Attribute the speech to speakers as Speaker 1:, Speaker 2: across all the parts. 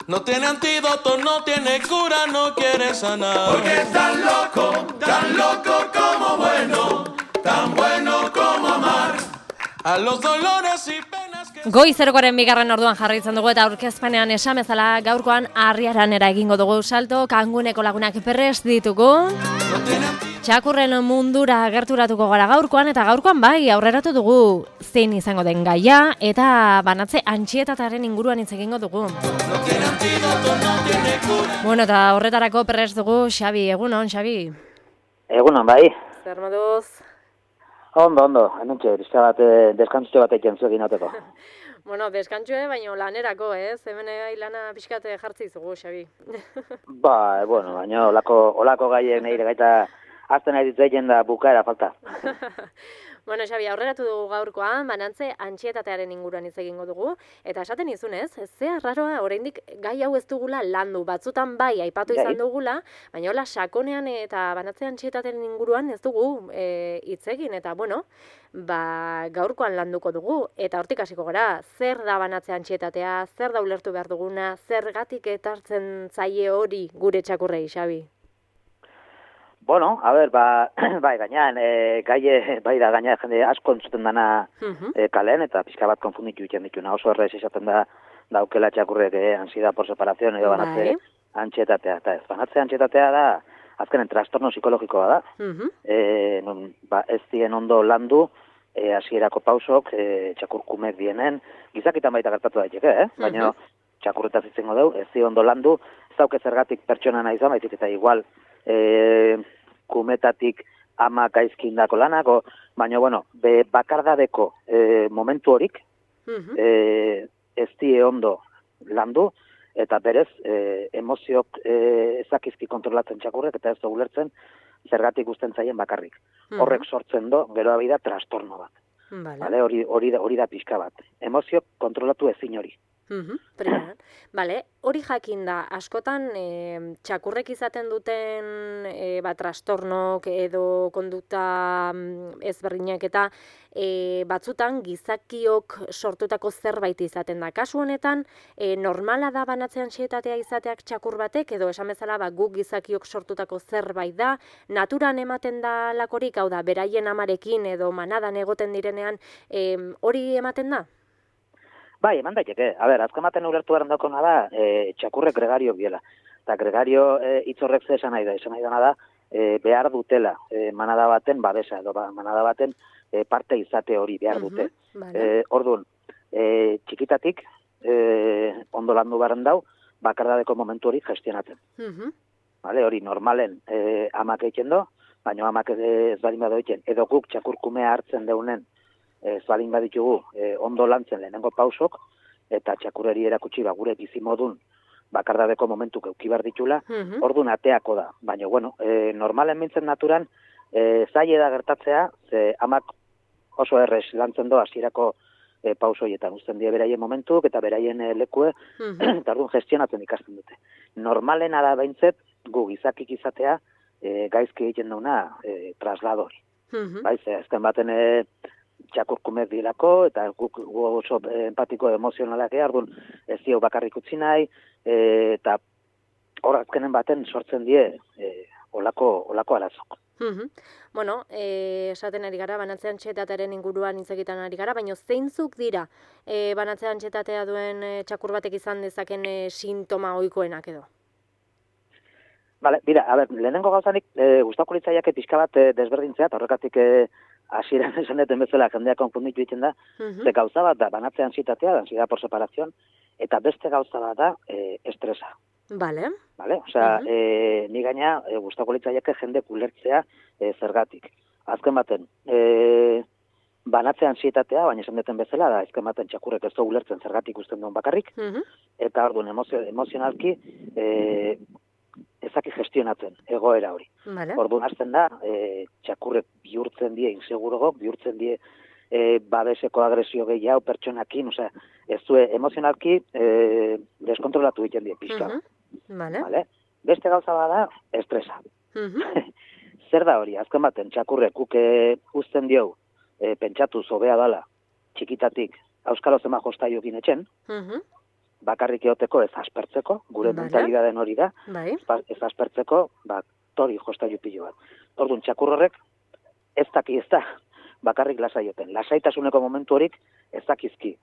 Speaker 1: No tiene antídoto, no tiene cura, no quiere sanar.
Speaker 2: Porque es tan loco como bueno, tan bueno como amar.
Speaker 1: A los dolores y penas que...
Speaker 3: Goizergoren bigarren orduan jarraitzen dugu eta aurkezpenean esan bezala gaurkoan Arriaranera egingo dugu salto, Kanguneko lagunak prest ditugu.
Speaker 1: No tiene antídoto.
Speaker 3: Txakurren mundura gerturatuko gara gaurkoan, eta gaurkoan bai, aurreratu dugu zein izango den gaia, eta banatze antxietatearen inguruan hitz egingo dugu.
Speaker 1: No tiene antídoto, no tiene cura.
Speaker 3: Bueno, eta horretarako prest dugu Xabi, egunon, Xabi.
Speaker 4: Egunon, bai.
Speaker 3: Zer moduz?
Speaker 4: Ondo, hementxe, pixka bat, deskantzutxo bat egin zuekin ateko.
Speaker 3: Bueno, deskantzue, baino lanerako, ez? Hemen lana pixkate jartzi zugu, Xabi.
Speaker 4: Bueno, baina olako gaien nire gaita azten nahi ditzaien da bukaera falta.
Speaker 3: Bueno, Xabi, aurreratu dugu gaurkoan, banantze antxietatearen inguruan hitz egingo dugu, eta esaten izunez, ze arraroa oraindik gai hau ez dugula landu, batzutan bai aipatu izan dugula, baina hola sakonean eta banantze antxietatearen inguruan ez dugu hitz egin, eta bueno, gaurkoan landuko dugu, eta hortik hasiko gara, zer da banatze antxietatea, zer da ulertu behar duguna, zergatik etartzen zaie hori gure txakurrei, Xabi?
Speaker 4: Bueno, a ber, bai, gainean, bai da, gainean jende asko entzuten dana kalen, eta pixka bat konfunditu egiten dituna. Oso errez esaten da daukela txakurrek ansiedad por separación edo banatze antxietatea. Eta ez, banatze antxietatea da, azkenen trastorno psikologikoa da. Ez dien ondo landu, hasierako pausok, txakurkumek dienen, gizakitan baita gertatu daiteke, baina txakurretaz izango dugu, ez dien ondo landu, ez dauke zergatik pertsona nahi izan, baizik eta igual, kumetatik ama gaizkindako lanako, baina, bueno, bakardadeko momentu horik, ez die ondo landu, eta berez, emoziok ezakizki kontrolatzen txakurrek, eta ez da ulertzen zergatik usten zaien bakarrik. Horrek sortzen do, gero abida, trastorno bat. Vale, hori da pixka bat. Emoziok kontrolatu ezin hori.
Speaker 3: Primeran. Vale, hori jakin da, askotan txakurrek izaten duten trastornok edo kondukta ezberdinak eta batzutan gizakiok sortutako zerbait izaten da. Kasu honetan, normala da banatze antsietatea izateak txakur batek edo esan bezala guk gizakiok sortutako zerbait da, naturan ematen da lakorik, hau da, beraien amarekin edo manadan egoten direnean, hori ematen da?
Speaker 4: Bai, eman daiteke. A ber, azken baten ulertu behar daukona da, txakurrek gregariok biela. Eta gregario hitzorrek ze esan nahi da. Esan nahi dena da, behar dutela manada baten babesa, edo manada baten parte izate hori behar dute. Orduan, txikitatik, ondo landu beharen dau, bakardadeko momentu hori gestionatzen. Hori normalen amak egiten do, baina amak ez badin bado egiten, edo guk txakurkumea hartzen deunen, ez balin baditugu ondo lantzen lehenengo pausok, eta txakurreri erakutsi gure bizimodun bakardadeko momentuk euki behar ditula, orduan ateako da. Baina, bueno, normalen mintzen naturan, zaila da gertatzea, ze amak oso errez lantzen do hasierako pausoietan, uzten die beraien momentuk eta beraien lekue, eta orduan gestionatzen ikasten dute. Normalena da behintzet, gu gizakik izatea, gaizki egiten dauna trasladori. Baiz, azken baten txakurkumek dilako, eta guk oso empatiko emozionalak orduan ez dio bakarrik utzi nahi, eta hor azkenen baten sortzen die olako arazok.
Speaker 3: Bueno, esaten ari gara, banatze antxietatearen inguruan hitz egiten ari gara, baina zeintzuk dira banatze antxietatea duen txakur batek izan dezaken sintoma ohikoenak edo?
Speaker 4: Bale, bira, a ber, lehenengo gauzanik gustatuko litzaiake pixka bat desberdintzea, eta horrekatik hasieran esan duten bezala jendeak konfunditu egiten da, ze gauza bat da banatze antsietatea, ansiedad por separación, eta beste gauza bat da estresa.
Speaker 3: Vale.
Speaker 4: Osea, ni gaina gustatuko litzaiake jende ulertzea zergatik. Azken baten, banatze antsietatea, baina esan duten bezala da, azken baten txakurrek ez da ulertzen zergatik usten duen bakarrik, eta orduan emozionalki ezaki gestionatzen egoera hori. Orduan hasten da, txakurrek bihurtzen die insegurogok, bihurtzen die babeseko agresio gehiago pertsonakin, osea, ez du emozionalki deskontrolatu egiten die pixka. Beste gauza bada, estresa. Zer da hori, azken baten txakurrek guk uzten diogu, pentsatu zobea dala, txikitatik, auskalo zema jostaiokin etxen, bakarrik eoteko ez aspertzeko, gure mentalidaden hori da, ez aspertzeko, tori jostailu pilo bat. Orduan, txakur horrek ez daki ez da, bakarrik lasaioten. Lasaitasuneko momentu horik ez dakizki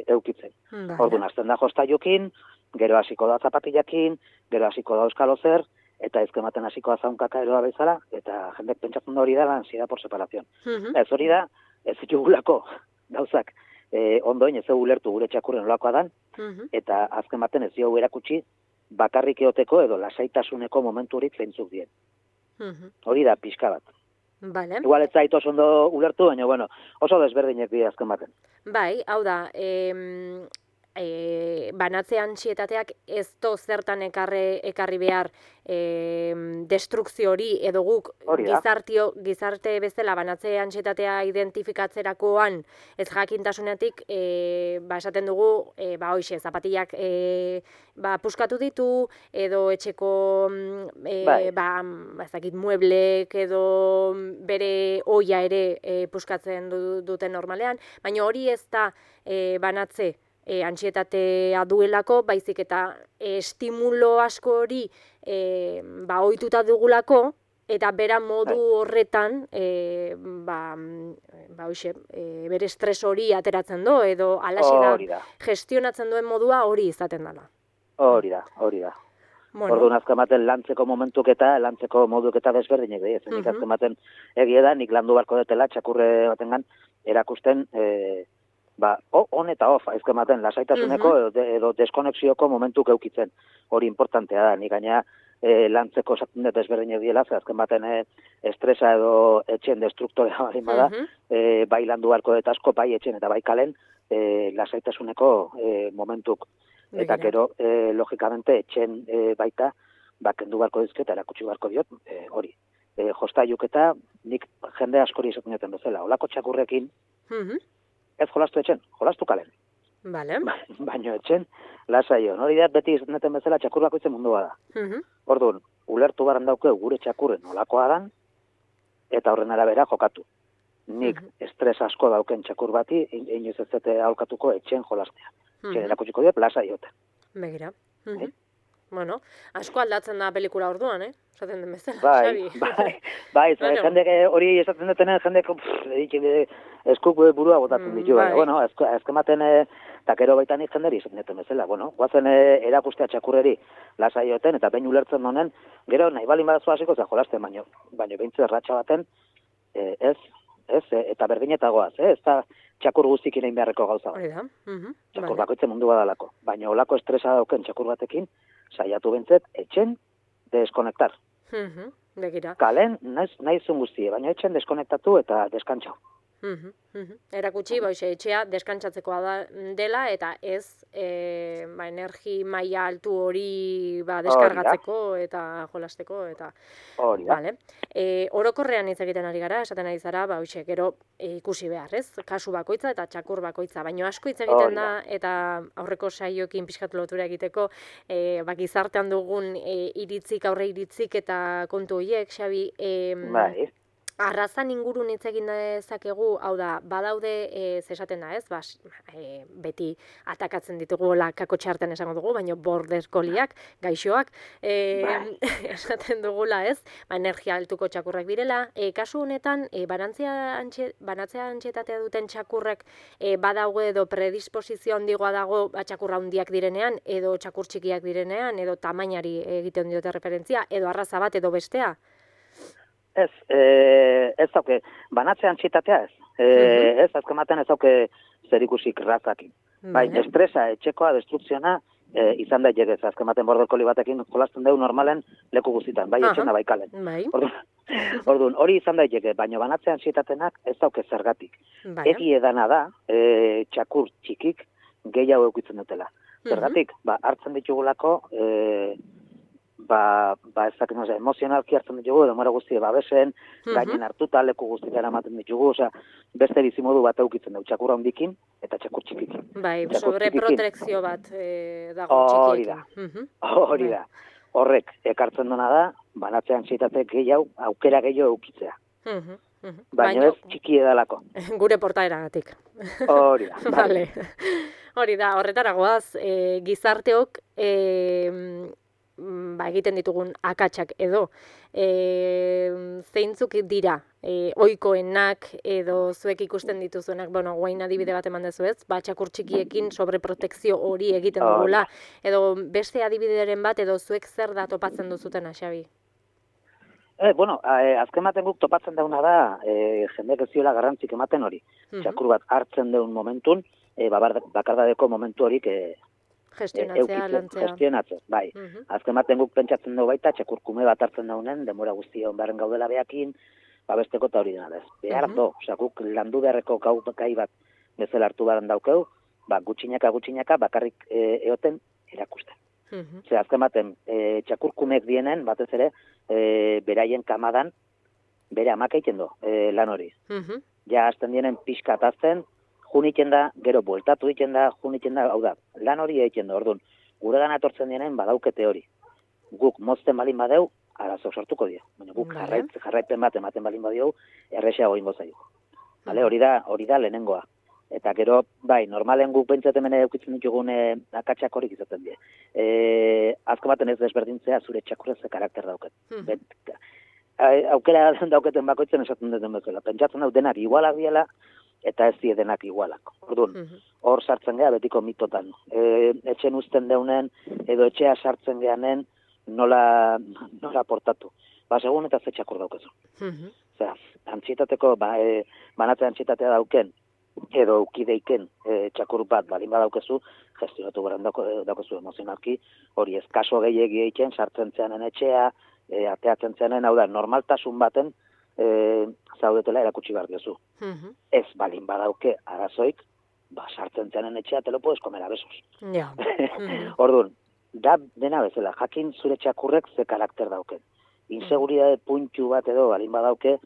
Speaker 4: eukitzen. Orduan, azten da jostailukin, gero hasiko da zapatillakin, gero hasiko da euskalo zer, eta ezkematen hasiko da zaunkaka eroa bezala, eta jendek pentsatzen da hori da ansiedad por separación. Ez hori da, ez ditugulako gauzak ondoin ez ulertu gure txakurren olakoa dan, eta azken baten ez diogu erakutsi bakarrik eoteko edo lasaitasuneko momenturik zeintzuk dien. Hori da pixka bat.
Speaker 3: Vale.
Speaker 4: Igual ez zait oso ondo ulertu, baina bueno, oso desberdinek dira azken baten.
Speaker 3: Bai, hau da, banatze antsietateak ez do zertan ekarri behar destrukzio hori edo guk gizarte bezala banatze antsietatea identifikatzerakoan ez jakintasunetik esaten dugu hoixe zapatillak puskatu ditu edo etxeko ezakit mueblek edo bere oia ere puskatzen duten normalean, baina hori ez da banatze antsietatea duelako, baizik eta estimulo asko hori ohituta dugulako, eta bera modu horretan bere estres hori ateratzen du, edo alaxera gestionatzen duen modua hori izaten dela.
Speaker 4: Hori da. Orduan azken baten lantzeko momentuk eta lantzeko moduk eta desberdinek dira. Nik azken baten egia da, nik landu barko detela txakurre batengan erakusten on eta off, azken baten lasaitasuneko edo deskonexioko momentuk eukitzen. Hori importantea da, nik gaina lantzeko esaten dut desberdinek diela, azken baten estresa edo etxen destruktorea bali bada, bai landu barko dut asko, bai etxen eta bai kalen lasaitasuneko momentuk. Eta gero, logikamente, etxen baita, kendu barko dizketa, erakutsi barko diot, hori. Jostailuk eta nik jende askori esaten duten bezala. Olako txakurrekin, ez jolastu etxen, jolastu kalen.
Speaker 3: Vale.
Speaker 4: Baino etxen, lasaio. Hori da, beti esaten duten bezala txakur bakoitzen mundua da. Orduan, ulertu baran dauke gure txakurren olakoa dan, eta horren arabera jokatu. Nik estres asko dauken txakur bati, inoiz ez zete aurkatuko etxen jolastea. Txen erakutsiko dira, lasaioten.
Speaker 3: Begira. Bueno, asko aldatzen da pelikula orduan, esaten den bezala,
Speaker 4: Xabi. Bai, jendek hori esaten dutenen, jendek eskuk burua botatzen ditu. Bueno, azkematen, eta gero baita nik jenderi esaten duten bezala. Bueno, guazen erakustea txakurreri lasaioten, eta behin ulertzen honen, gero nahi balin badazu hasiko za jolasten, baino behintzu erratxa baten, eta berdinetagoaz, ez da txakur guztik inain beharreko gauza bat. Txakur bakoitzen mundu badalako. Baina olako estresa dauken txakur batekin, saiatu bentzet, etxen deskonektar.
Speaker 3: Begira.
Speaker 4: Kalen, nahi zun guztie, baina etxen deskonektatu eta deskantxau.
Speaker 3: Erakutsi, etxea deskantzatzeko dela, eta ez energi maila altu hori deskargatzeko eta jolasteko.
Speaker 4: Hori da.
Speaker 3: Orokorrean hitz egiten ari gara, esaten ari zara, gero ikusi behar, ez? Kasu bakoitza eta txakur bakoitza, baina asko hitz egiten da, eta aurreko saioekin pixkat lotura egiteko, gizartean dugun aurre iritzik eta kontu horiek, Xabi,
Speaker 4: bai.
Speaker 3: Arrazan ingurun hitz egin dezakegu, hau da, badaude, esaten da, ez? Beti atakatzen ditugu kako txarten esango dugu, baina border colliek, gaixoak, esaten dugula, ez? Energia altuko txakurrak direla. Kasu honetan, banatzea antsietatea duten txakurrek badaude edo predisposizio handigoa dago txakurra handiak direnean, edo txakur txikiak direnean, edo tamainari egiten diote referentzia, edo arraza bat edo bestea?
Speaker 4: Ez dauke, banatze antsietatea ez. Ez, azkematen ez dauke zerikusik razakin. Bai, estresa, etxekoa, destrukziona, izan da jegez. Azkematen border collie batekin jolasten dugu normalen leku guztitan, bai etxena, bai kalen. Orduan, hori izan da jege, baina banatze antsietatenak ez dauke zergatik. Egi edana da, txakur txikik gehiago eukitzen dutela. Zergatik, hartzen ditugulako, emozionalki hartzen ditugu, demora guztie babesen, gainen hartuta, leku guztiak eramaten ditugu, beste bizimodu bat eukitzen dugu, txakur handikin eta txakur txikikin.
Speaker 3: Bai, sobre protekzio bat dago txikiekin.
Speaker 4: Hori da. Horrek, ekartzen dena da, banatzean antsietate gehiago, aukera gehiago eukitzea. Baina ez txiki edalako.
Speaker 3: Gure portaeragatik.
Speaker 4: Hori da.
Speaker 3: Vale. Hori da, horretaragoaz, gizarteok egiten ditugun akatsak edo zeintzuk dira ohikoenak edo zuek ikusten dituzuenak, guain adibide bat eman dezu ez, txakur txikiekin sobreprotekzio hori egiten dugula, edo beste adibideren bat edo zuek zer da topatzen duzuten, Xabi?
Speaker 4: Azken baten guk topatzen dauna da, jendek ez ziola garrantzik ematen hori. Txakur bat hartzen deun momentun, bakardadeko momentu horik gestionatzea, bai. Azken baten guk pentsatzen dugu baita, txakurkume bat hartzen daunen, denbora guztia onbaren gaudela behakin, babesteko eta hori dena, ez. Behar do, guk landu beharreko gai bat bezala hartu baren daukeu, gutxinaka bakarrik eoten erakusten. Azken baten, txakurkumek dienen, batez ere, beraien kamadan, bere amak egiten du, lan hori. Ja, azten dienen pixka atazten, junitzen da, gero bueltatu egiten da, hau da, lan hori egiten du, orduan, gure gana etortzen dienen badaukete hori. Guk mozten balin badeu, arazo sortuko dio. Baina guk jarraipen bat ematen balin badeu, errexeago ingo zaio. Hori da lehenengoa. Eta gero, bai, normalen guk pentsatzen mene eukitzen ditugun akatsak horik izaten die. Azko baten ez desberdintzea zure txakurrez karakter dauket. Aukera dauketen bakoitzen esaten duten bezala. Pentsatzen dut denak igualak diela, eta ez die denak igualak. Orduan, hor sartzen geha betiko mitotan. Etxen uzten deunen, edo etxea sartzen gehanen, nola portatu. Segun eta ze txakur daukezu. Antxietateko, banatze antxietatea dauken, edo ukideiken txakur bat balin badaukezu, gestionatu garen daukezu emozionalki, hori ez kaso gehiagi egiten, sartzen zeanen etxea, ateatzen zeanen, hau da, normaltasun baten zaudetela erakutsi behar diozu. Ez balin badauke arazoik, sartzen zeanen etxea, te lo puedes comer a besos. Orduan, da dena bezala, jakin zure txakurrek ze karakter dauken. Inseguridade puntu bat edo balin badauke,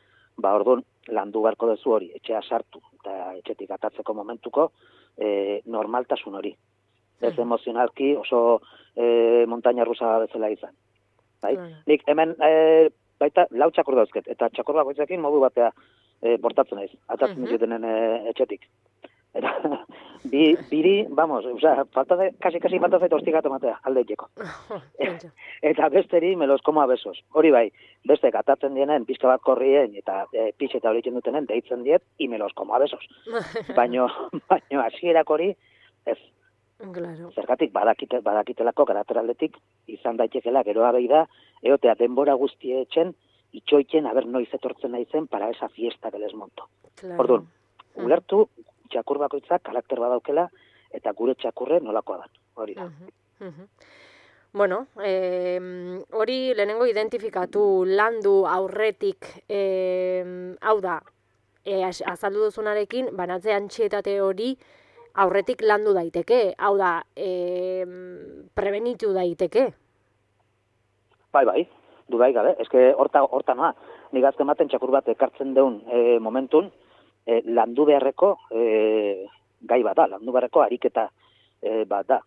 Speaker 4: orduan, landu beharko duzu hori, etxea sartu, eta etxetik atatzeko momentuko, normaltasun hori. Ez emozionalki oso montaña rusa bezala izan. Nik hemen baita lau txakur dauzket, eta txakur bakoitzekin modu batea portatzen naiz, atatzen ditutenen etxetik. Eta biri, kasi falta zait hostigato matea, alde itxeko. Eta besteri me los como a besos. Hori bai, bestek atatzen dienen, pixka bat korrien, eta pix eta horitzen dutenen, deitzen diet, y me los como a besos. Baino hasierak hori, ez. Zergatik badakitelako karateraldetik, izan daitekela, gero abei da, eotea denbora guztie etxen, itxoiken, noiz etortzen naizen, para esa fiesta que les monto. Orduan, ulertu, txakur bakoitzak karakter badaukela, eta gure txakurre nolakoa da, hori da.
Speaker 3: Hori lehenengo identifikatu, landu aurretik, hau da, azaldu duzunarekin, banatze antxietate hori aurretik landu daiteke, hau da, prebenitu daiteke.
Speaker 4: Bai, dudaik gabe, eske horta noa, nik azken baten txakur bat ekartzen deun momentun, landu beharreko gai bat da, landu beharreko ariketa bat da.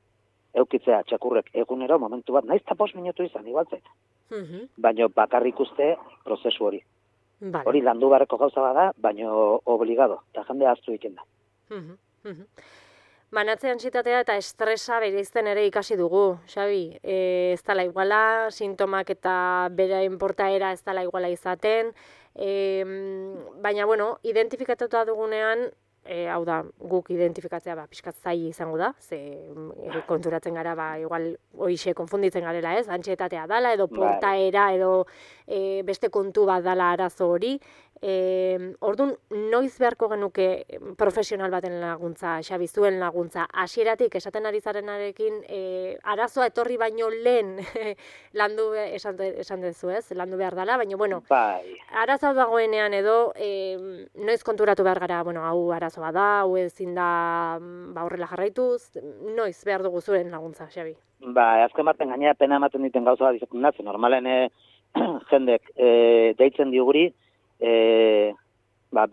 Speaker 4: Eukitzea txakurrek egunero momentu bat, naiz eta 5 minutu izan, igual zait. Baina bakarrik uste prozesu hori. Hori landu beharreko gauza bada, baina obligado, eta jende ahaztu egiten da.
Speaker 3: Banatze antsietatea eta estresa bereizten ere ikasi dugu, Xabi. Ez dela iguala, sintomak eta beraien portaera ez dela iguala izaten, baina, identifikatuta dugunean, hau da, guk identifikatzea pixkat zaila izango da, ze konturatzen gara, igual hoixe konfunditzen garela ez, antsietatea dala, edo portaera, edo beste kontu bat dala arazo hori. Orduan, noiz beharko genuke profesional baten laguntza, Xabi, zuen laguntza, hasieratik esaten ari zarenarekin, arazoa etorri baino lehen landu, esan dezu ez, landu behar dala, baina, arazoa dagoenean edo, noiz konturatu behar gara, hau arazoa da, hau ezin da horrela jarraituz, noiz behar dugu zuen laguntza, Xabi?
Speaker 4: Azken baten gainera pena ematen diten gauza bat izaten datzen, normalen jendek deitzen diuguri,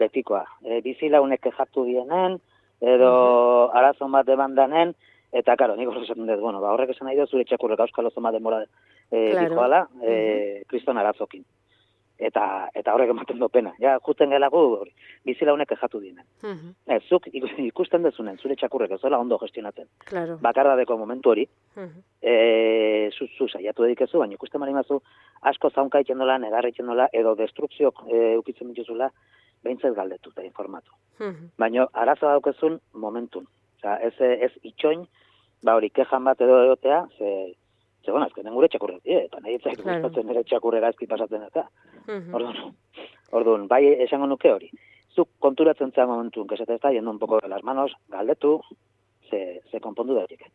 Speaker 4: betikoa. Bizilaunek kexatu dienen, edo arazon bat debandanen, eta, karo, nik hori esaten dut, horrek esan nahi da zure txakurrek auskal oso bat denbora dikoala, kriston arazokin. eta horrek ematen do pena. Ja, justen gelago bizilaunek ejatu dienen. Zuk ikusten dezunen, zure txakurrek ez dela ondo gestionatzen.
Speaker 3: Claro.
Speaker 4: Bakardadeko momentu hori, zu saiatu edikezu, baina ikusten marimazu, asko zaunka egiten dola, negar egiten dola, edo destrukziok eukitzen dituzula, behintzat galdetu eta informatu. Baina arazoa daukezun momentun. Osa, ez itxoin, hori kejan bat edo egotea, bueno, azkenen gure txakurrek, eta nahi etzak gustatzen nire txakurrera ezki pasatzen eta. Orduan, bai esango nuke hori. Zuk konturatzen zea momentun, que se te está yendo un poco de las manos, galdetu, se konpondu daiteke.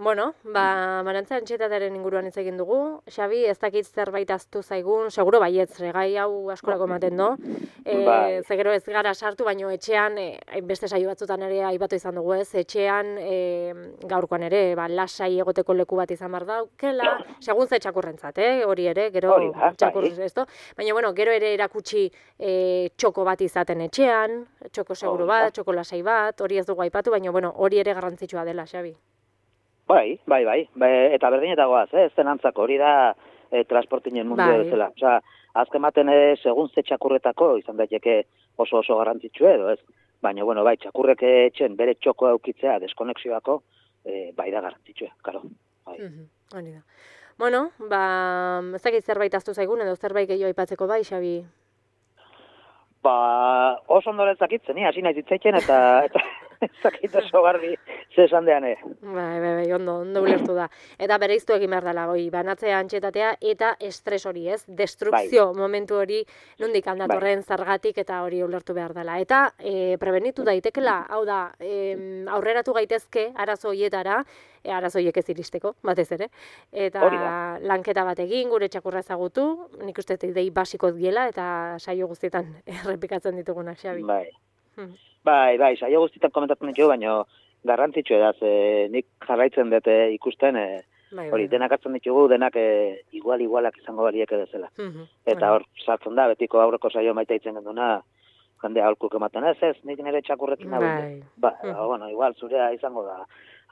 Speaker 3: Bueno, Marantza antxietataren inguruan hitz egin dugu. Xabi, ez dakit zerbait aztu zaigun, seguro baietz, gai hau askorako ematen do. Ze gero ez gara sartu, baino etxean, beste saio batzutan ere aipatu izan dugu ez, etxean gaurkoan ere, lasai egoteko leku bat izan behar daukela, segun ze txakurrentzat, hori ere, gero txakurrez ez do. Baina, bueno, gero ere erakutsi txoko bat izaten etxean, txoko seguru bat, txoko lasai bat, hori ez dugu aipatu, baina, bueno, hori ere garrantzitsua dela, Xabi.
Speaker 4: Bai, eta berdinetagoaz, ez den antzako, hori da transportinen mundu bezala. Osa, azken baten segun ze txakurretako izan daiteke oso garrantzitsu edo, ez? Baina, bueno, bai, txakurrek etxen bere txoko eukitzea deskonexioako, bai da garrantzitsua, karo.
Speaker 3: Hori da. Bueno, ez dakit zerbait aztu zaigun edo zerbait gehiago aipatzeko bai, Xabi?
Speaker 4: Oso ondoren zakitzen, hasi nahi zitzaitzen eta zakit oso garbi zesan deane.
Speaker 3: Bai, ondo ulertu da. Eta bereiztu egin behar dela, banatzea antxetatea eta estres hori, ez? Destrukzio momentu hori nondik aldatorren zergatik eta hori ulertu behar dela. Eta prebenitu daitekela, hau da, aurreratu gaitezke arazo horietara, arazoiek ez iristeko, batez ere. Eta lanketa bat egin, gure txakurra ezagutu, nik uste idei basiko diela eta saio guztietan errepikatzen ditugunak, Xabi.
Speaker 4: Bai, saio guztietan komentatzen ditugu, baina garrantzitsu edaz, nik jarraitzen dut ikusten, hori, denak hartzen ditugu, denak igualak izango baliek edezela. Eta hor, sartzen da, betiko aurreko saio maita itzen genduna, jende aholkuk ematen ez, nik nire txakurrekin nagoen. Bueno, igual, zurea izango da,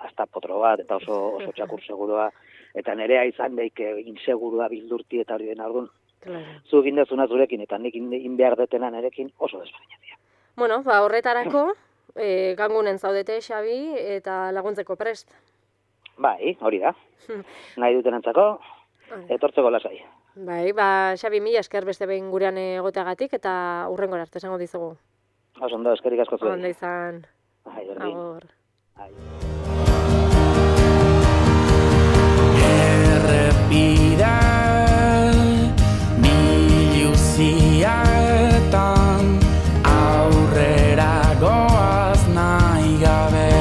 Speaker 4: hasta potro bat, eta oso txakur segurua, eta nerea izan daik insegurua bildurti eta hori den argun. Zu egin dezuna zurekin, eta nik inbehar detena nerekin oso desberdinak.
Speaker 3: Bueno, horretarako, gangunen zaudete, Xabi, eta laguntzeko prest.
Speaker 4: Bai, hori da. Nahi duten antzako, etortzeko lasai.
Speaker 3: Bai, Xabi, mila esker beste behin gurean egoteagatik, eta hurrengora arte esango dizugu.
Speaker 4: Oso ondo, eskerik asko zuen.
Speaker 3: Ondo izan.
Speaker 4: Agor.
Speaker 2: Errepida biluziatan aurrera goaz nahi gabe,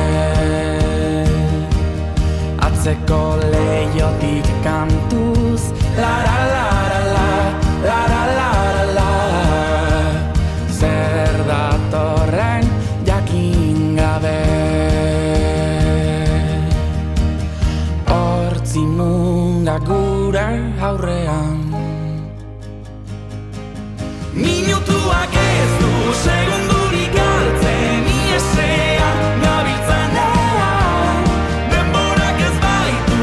Speaker 2: atzeko leiotik kantuz lara lara la lara lara la, zer datorren jakin gabe. Hortzimunda gure aurrean, minutuak ez du segundurik galtzen, iesean gabiltzanean, denborak ez baitu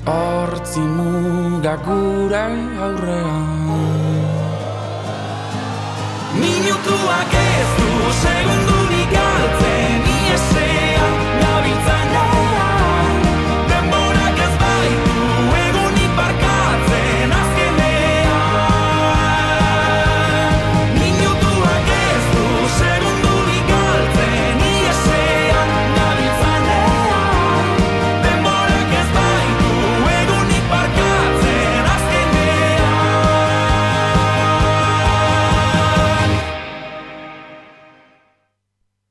Speaker 5: hortzi muga gure aurrean. Minutuak ez du segundu